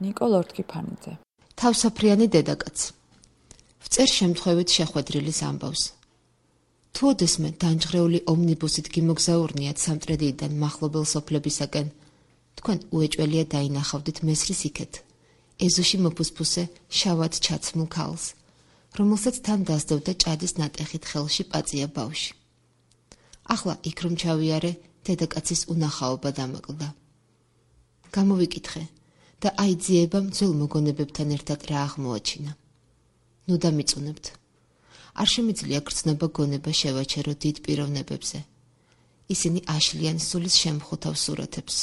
ნიკოლ ორთქიფანიძე. თავსაფრიანი დედაკაც. ვწერ შემთხვევით შეხვედრილის ამბავს. თუ ოდესმე დამჯღრეული ომნიბუსით გიმოგზაურნიათ სამტრედიიდან მახლობელ სოფლებისაკენ, თქვენ უეჭველია დაინახავდით მესრის იქეთ, ეზოში მოფუსფუსე შავად ჩაცმულ ქალს, რომელსაც თან დასდევდა ჭადის ნატეხით ხელში პაწია ბავში. ახლა იქ რომ ჩავიარე, დედაკაცის უნახაობა დამაკლდა. გამოვიკითხე და აიძიებამ ძველ მოგონებებთან ერთად რა აღმოაჩინა. ნუ დამიწუნებთ. არ შემიძლია გრძნობა გონება შევაჩერო დიდ პიროვნებებზე. ისინი აშლიან სულის შემხუთავ სურათებს.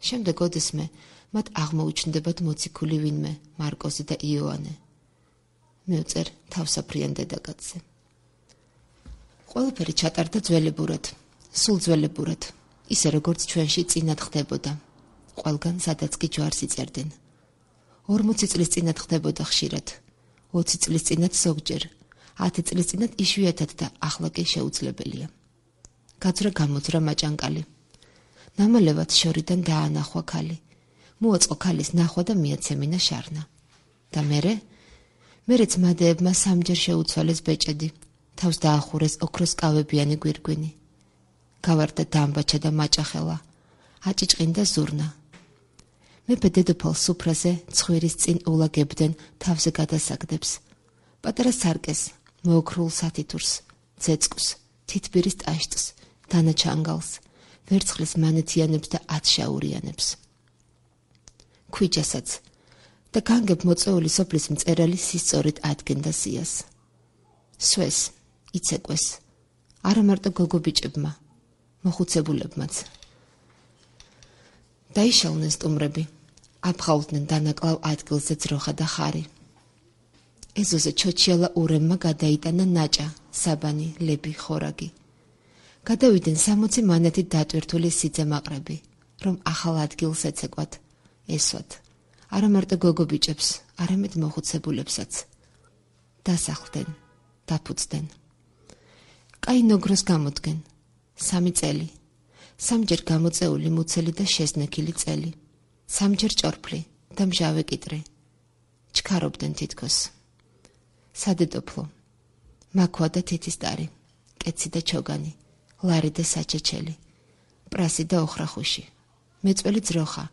შემდეგ ოდესმე მათ აღმოუჩნდებათ მოციქული ვინმე, მარკოზი და იოანე. მევწერ თავსაფრიან დედაკაცზე. ყველაფერი ჩატარდა ძველებურად, სულ ძველებურად, ისე როგორც ჩვენში წინათ ხდებოდა. ყველგან სადაც კი ჯვარს იწერდნენ. 40 წლის წინათ ხდებოდა ხშირად, 20 წლის წინათ ზოგჯერ, 10 წლის წინათ იშვიათად და ახლა კი შეუძლებელია. გაძრა გამოძრა მაჭანკალი. ნამალევად შორიდან დაანახვა ქალი. მოაწყო ქალის ნახვა და მიაცემინა შარნა. და მერეც მადეებმა სამჯერ შეუცვალეს ბეჭედი, თავს დაახურეს ოქროსკავებიანი გვირგვინი. გავარდა დამბაჩა და მაჭახელა, აჭიჭყინდა ზურნა. მეფე დედოფალ სუფრაზე ცხვირის წინ ულაგებდნენ თავზე გადასაგდებს. პატარა სარკეს, მოოქრულ სათითურს, ძეწკუს, თითბირის ტაშტს, დანაჩანგალს, ვერცხლის მანეთიანებს და ათშაურიანებს. ქვიჯასაც და განგებ მოწეული სოფლის მწერალი სისწორით ადგენდა სიას. სვეს, იცეკვეს, არა მარტო გოგობიჭებმა, მოხუცებულებმაც. დაიშალნენ სტუმრები, აფხაულდნენ დანაკლავ ადგილზე ძროხა და ხარი. ეზოზე ჩოჩიალა ურემმა გადაიტანა ნაჭა, საბანი, ლები, ხორაგი. გადავიდნენ 60 მანეთით დატვირთული სიძემაყრები, რომ ახალ ადგილს ეცეკვათ, ესვათ, არა მარტო გოგობიჭებს, არამედ მოხუცებულებსაც. დასახლდნენ, დაფუძდნენ. კაი ნოგროს გამოდგენ, 3 წელი, 3ჯერ გამოწეული მუცელი და შესნექილი წელი, 3ჯერ ჭორფლი და მჟავე კიტრი. ჩქარობდნენ თითქოს. სადედოფლო, მაქვა და თითისტარი, კეცი და ჩოგანი, ლარი და საჩეჩელი, პრასი და ოხრახუში, მეწველი ძროხა,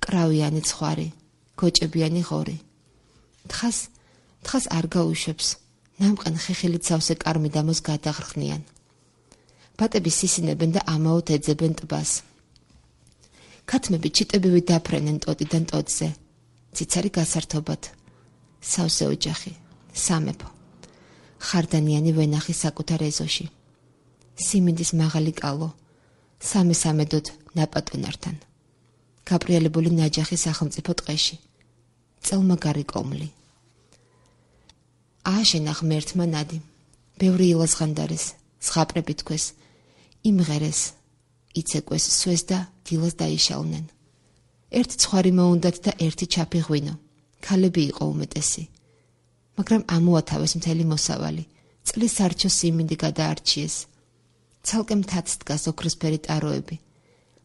კრავიანი ცხვარი, გოჭებიანი ღორი. თხას არ გაუშვებს, ნამყენ ხეხილით სავსე კარმიდამოს გადაღრხნიან. ბატები სისინებენ და ამაოდ ეძებენ ტბას. ქათმები ჩიტებივი დაფრენენ ტოტიდან ტოტზე, ციცარი გასართობად, სავსე ოჯახი, სამეფო, ხარდანიანი ვენახი საკუთარ ეზოში, სიმინდის მაღალი კალო, სამესამედოდ ნაპატონართან, გაბრიალებული ნაჯახი სახელმწიფო ტყეში, წელმაგარი კომლი. ააშენა ღმერთმა ნადი, ბევრი ილაზღანდარეს, ზღაპრები თქვეს, იმღერეს, იცეკვეს სვეს და დილას დაიშალნენ. ერთი ცხვარი მოუნდათ და ერთი ჩაფი ღვინო, ქალები იყო უმეტესი. მაგრამ ამოათავეს მთელი მოსავალი, წლის სარჩო სიმინდი გადაარჩიეს. ცალკე მთაც დგას ოქროსფერი ტაროები,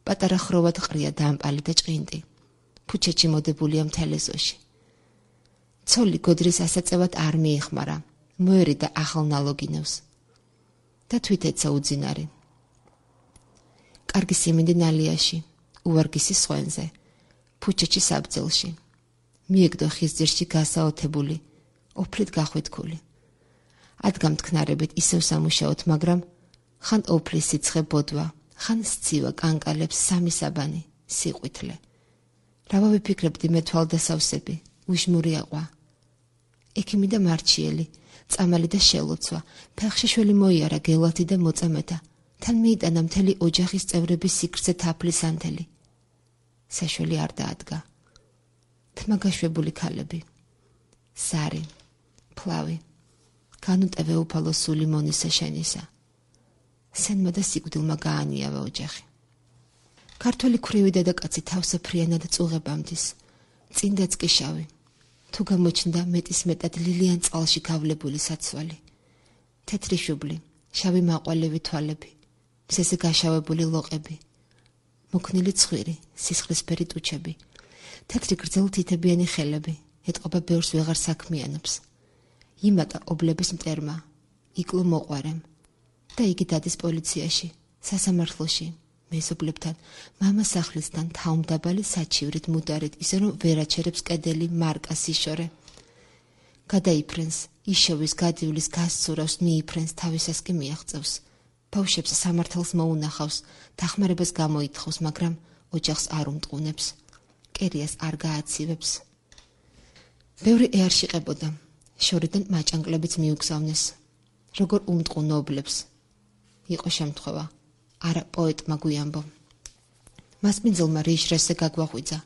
პატარა ხროვად ყრია დამპალი და ჭყინტი, ფუჩეთში მოდებულია მთელ ეზოში. ცოლი გოდრის ასაწევად არ მიიხმარა, მოერიდა ახალ ნალოგინევს და თვით ეცა უძინარი. კარგი სიმინდი ნალიაში, უვარგისი სხვენზე, ფუჩეთში საბძელში. მიეგდო ხის ძირში გასაოთებული, ოფლით გახვეთქული. ადგა მტკნარებით ისევ სამუშაოთ, მაგრამ ხან ოფლის სიცხე ბოდვა, ხან სცივა კანკალებს 3 საბანი, სიყვითლე. რა ვიფიქრებდი მე თვალდასავსები, უშმური აყვა. ექიმი და მარჩიელი, წამალი და შელოცვა, ფეხში შველი მოიარა გელათი და მოწამეთა, თან მიიტანა მთელი ოჯახის წევრების სიქრზე თაფლის ანთელი. საშველი არ დაადგა. თმაგაშვებული ქალები, სარი, ფლავი, განუტევე უფალო სული მონისა შენისა. სენმა და სიკვდილმა გაანიავა ოჯახი. ქართველი ქვრივი დედაკაცი თავსაფრიანად წუღებამდის, წინდაც კი შავი. თუ გამოჩნდა მეტის მეტად ლილიან წყალში გავლებული საცვალი. თეთრი შუბლი, შავი მაყვალევი თვალები, მზეზე გაშავებული ლოყები, მოქნილი ცხვირი, სისხლისფერი ტუჩები, თეთრი გრძელი თითებიანი ხელები, ეტყობა ბევრს ვეღარ საქმიანობს. იმატა ობლების მტერმა, იკლო მოყვარემ და იგი დადის პოლიციაში, სასამართლოში, მეზობლებთან, მამას სახლისთან, თავმდაბალი საჩივრით მუდარით, ისე რომ ვერ აჩერებს კედელი, მარკა, სიშორე. გადაიფრენს, იშოვის, გადივლის, გასცურავს, მიიფრენს, თავისას კი მიაღწევს. ბავშვებს სამართალს მოუნახავს, დახმარებას გამოითხოვს, მაგრამ ოჯახს არ უმტყუნებს. კერიას არ გააცივებს. ბევრი ეარშიყებოდა, შორიდან მაჭანკლებიც მიუგზავნეს. როგორ უმტყუნო ობლებს. იყო შემთხვევა, არა პოეტმა გვიამბო. მასპინძელმა რიშრესზე გაგვაღვიძა.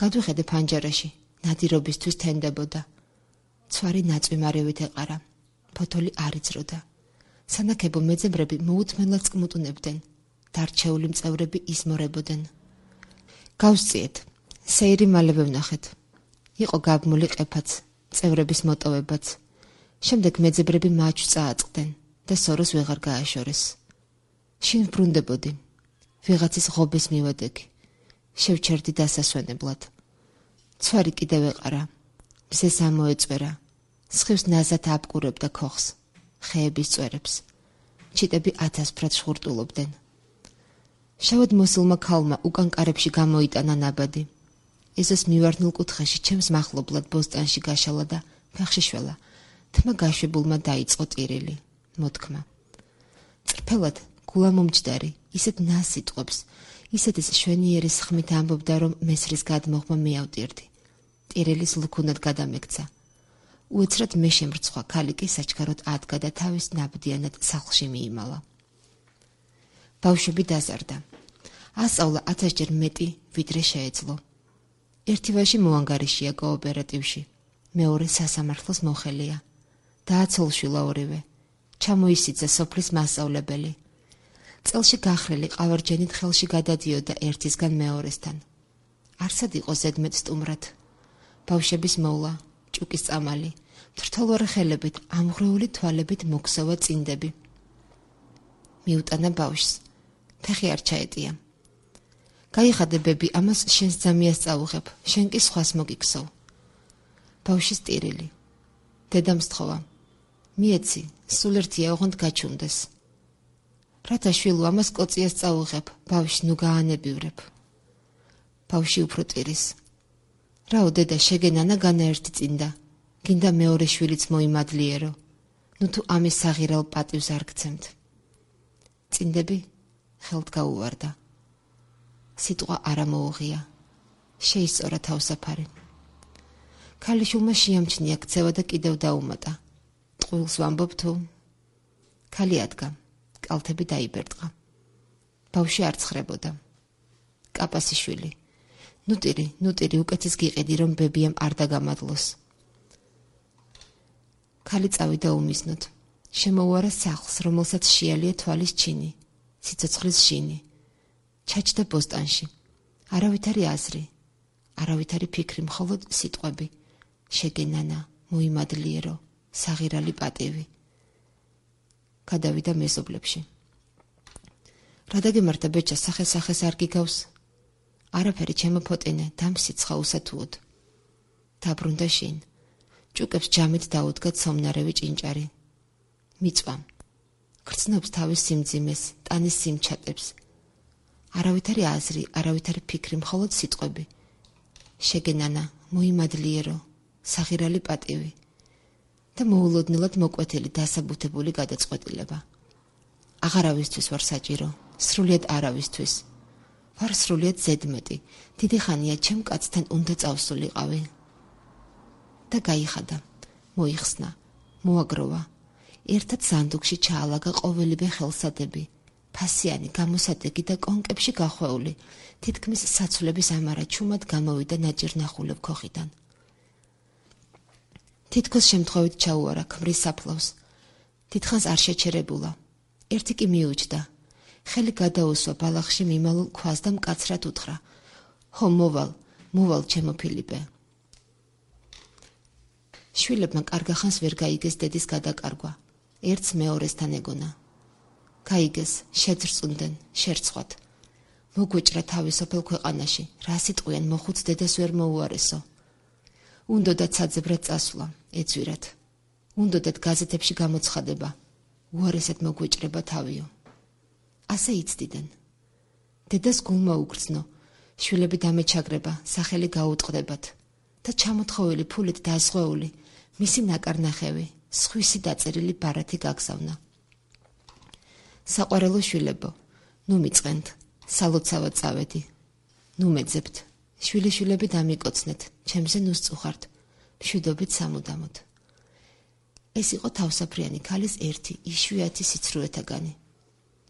გადვიხედე ფანჯარაში, ნადირობისთვის თენდებოდა. ცვარი ნაწვიმარევით ეყარა. ფოთოლი არ იწროდა. სანაკებო მეძებრები მოუთმენლად წკმუტუნებდნენ. დარჩეული მწევრები იზმორებოდნენ. გავსწიეთ, სეირი მალევე ვნახეთ. იყო გაბმული ყეფაც, წევრების მოტოვებაც. შემდეგ მეძებრები მაჩვს წააწყდნენ და სოროს ვეღარ გააშორეს. შინ ბრუნდებოდი. ვიღაცის ღობეს მივადეგი. შევჩერდი დასასვენებლად. ცვარი კიდევ ეყარა. მზეს ამოეწვერა. სხივს ნაზად აბკურებდა ქოხს. ხეების წვერებს. ჩიტები 1000 ფრად შხურტულობდნენ. შავად მოსულმა ქალმა უკან კარებში გამოიტანა ნაბადი. ეზოს მივარდნილ კუთხეში ჩემს მახლობლად ბოსტანში გაშალა და ფეხში შველა. თმა გაშვებულმა დაიწყო ტირილი. მოთქმა. წრფელად, გულამომჯდარი, ისეთ ნას სიტყვებს, ისეთის შვენიერი სხმით ამბობდა, რომ მესრის გადმოღმა მეავტირდი. ტირილის ლუქუნად გადამექცა. უეცრად მე შემრცხვა, ქალი კი საჩქაროდ ადგა და თავის ნაბდიანად სახლში მიიმალა. ბავშვები დაზარდა. ასწავლა 1000-ჯერ მეტი, ვიდრე შეეძლო. ერთი ვაჟი მოანგარიშია კოოპერატივში, მეორე სასამართლოს მოხელია. დააცოლშვილა ორივე. ჩამოისიძა სოფლის მასწავლებელი. წელში გახრელი ყავარჯენით ხელში გადადიოდა ერთისგან მეორესთან. არსად იყო ზედმეტ სტუმრად. ბავშვების მოვლა, ჭუკის წამალი, თრთოლვარე ხელებით, ამღრეული თვალებით მოქსოვა წინდები. მიუტანა ბავშვს. ფეხი არ ჩაეტია. გაიხადე ბები, ამას შენს ძამიას წაუღებ, შენ კი სხვას მოგიქცევ. ბავშვის ტირილი. დედამ სთხოვა. მიეცი, სულ ერთია ოღონდ გაჩუნდეს. რათა შვილო ამას კოციას წაუღებ, ბავშვს ნუ გაანებივრებ. ბავშვი უფრო ტირის. რაო დედა შეგენანა განაერთი წინდა, გინდა მეორე შვილიც მოიმადლიერო, ნუ თუ ამის საღირალ პატივს არ გცემთ. წინდები ხელთ გაუვარდა. სიტყვა არა მოუღია, შეისწორა თავსაფარი. ქალიშვილმა შეამჩნია ქცევა და კიდევ დაუმატა. ტყუილს ვამბობ თუ? ქალი ადგა, კალთები დაიბერტყა. ბავშვი არ ცხრებოდა. კაპასიშვილი. ნუტირი, უკეთეს გიყიდი, რომ ბებიამ არ დაგამადლოს. ქალი წავიდა უმიზნოდ. შემოუარა სახლს, რომელსაც შეალია თვალის ჩინი, სიცოცხლის შინი. ჩაჯდა ბოსტანში. არავითარი აზრი, არავითარი ფიქრი, მხოლოდ სიტყვები. შეგენანა, მოიმადლიერო, საღირალი პატივი. გადავიდა მეზობლებში. რა დაგემართა ბეჭა, სახეს არ გიგავს? არაფერი ჩემოფოტენე, დამსიცხა უსათუოდ. დაბრუნდა შინ. ჭუკებს ჯამით დაუდგა ცომნარევი ჭინჭარი. მიწვა. გრძნობს თავის სიმძიმეს, ტანის სიმჩატებს. არავითარი აზრი, არავითარი ფიქრი, მხოლოდ სიტყვები. შეგენანა, მოიმადლიერო, საღირალი პატივი. და მოულოდნელად მოკვეთილი დასაბუთებული გადაწყვეტილება. აღარავისთვის ვარ საჭირო, სრულიად არავისთვის. ვარ სრულიად ზედმეტი, დიდი ხანია ჩემ კაცთან უნდა წავსულიყავი. და გაიხადა, მოიხსნა, მოაგროვა. ერთად სანდუქში ჩაალაგა ყოველივე ხელსადები, ფასიანი, გამოსადეგი და კონკებში გახვეული, თითქმის საცვლების ამარა ჩუმად გამოვიდა ნაჭირნახულებ ქოხიდან. თითქოს შემთხვევით ჩაუარა ქმრის საფლავს. დიდხანს არ შეჩერებულა. ერთი კი მიუჯდა. ხელი გადაუსვა ბალახში მიმალულ ქვას და მკაცრად უთხრა. ჰო, მოვალ, ჩემო ფილიპე. შვილებმა კარგახანს ვერ გაიგეს დედის გადაკარგვა. ერთს მეორესთან ეგონა. გაიგეს, შეძრწუნდნენ, შერცხვათ. მოგვეჭრა თავი სოფელ ქვეყანაში, რა სიტყვიან მოხუც დედას ვერ მოუარესო. უნდოდათ საძებრად წასვლა, ეძვირათ. უნდოდათ გაზეთებში გამოცხადება, უარესად მოგვეჭრება თავიო. ასე იცდიდან. დედას გულმა უგრძნო, შვილები დამეჩაგრება, სახელი გაუტყდებათ და ჩამოთხოვილი ფულით დაზღვეული, მისი ნაკარნახევი, სხვისი დაწერილი ბარათი გაგზავნა. საყვარელო შვილებო, ნუ მიწყენთ, სალოცავად წავედი. ნუ მეძებთ, შვილიშვილები დამიკოცნეთ, ჩემზე ნუ სწუხართ, მშვიდობით სამუდამოდ. ეს იყო თავსაფრიანი ქალის ერთი იშვიათი სიცრუეთაგანი.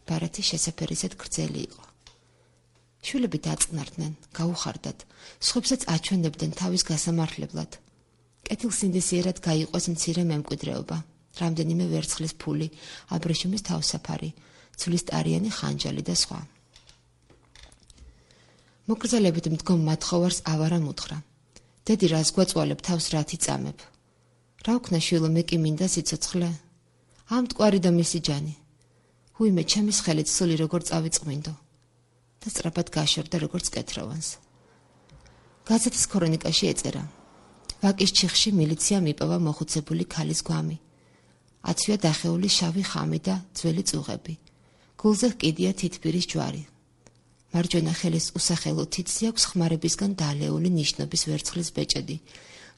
ბარათი შესაფერისად გრძელი იყო. შვილები დაწყნარდნენ, გაუხარდათ, სხვებსაც აჩვენებდნენ თავის გასამართლებლად. კეთილსინდისიერად გაიყვეს მცირე მემკვიდრეობა, რამდენიმე ვერცხლის ფული, აბრეშუმის თავსაფარი, ცვლისტარიანი ხანჯალი და სხვა. მოკრძალებით მდგომ მათხოვარს ავარა მუთხრა. დედი რას გვაწვალებ თავს რათი წამებ. რა ვქნა შვილო, მე კი მინდა სიცოცხლე. ამ მტკვარი და მისი ჯანი. უიმე ჩემის ხელით სული როგორ წავიწყმინდო. და სწრაფად გაშორდა როგორც კეთროვანს. გაზეთის ქრონიკაში ეწერა. ვაკის ჩიხში მილიციამ იპოვა მოხუცებული ქალის გვამი. აცვია დახეული შავი ხამი და ძველი წუღები. გულზე ჰკიდია თითბირის ჯვარი. მარჯვენა ხელის უსახელო თითზე აქვს ხმარებისგან დალეული ნიშნობის ვერცხლის ბეჭედი,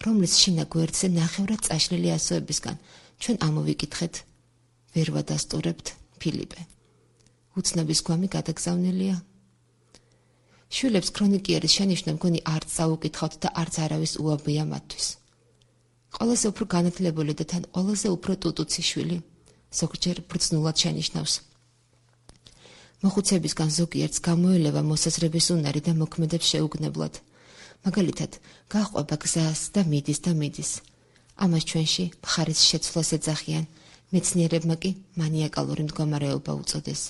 რომლის შინა გვერდზე ნახევრად წაშლილი ასოებისგან ჩვენ ამოვიკითხეთ, ვერ ვადასტურებთ, ფილიპე. უცნობის გვამი გადაგზავნილია. შვილებს ქრონიკიერის შენიშვნა მგონი არც წაუკითხავთ და არც არავის უაბია მათთვის. ყველაზე უფრო განათლებული და თან ყველაზე უფრო ტუტუცი შვილი, ზოგჯერ ბრძნულად შენიშნავს. მოხუცებისგან ზოგიერთს გამოელევა მოსაზრების უნარი და მოქმედებს შეუგნებლად. მაგალითად, გაჰყვება გზას და მიდის. ამას ჩვენში მხარის შეცვლას ეძახიან, მეცნიერებმა კი მანიაკალური მდგომარეობა უწოდეს.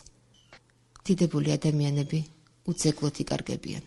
დიდებული ადამიანები უძეგლოდ იკარგებიან.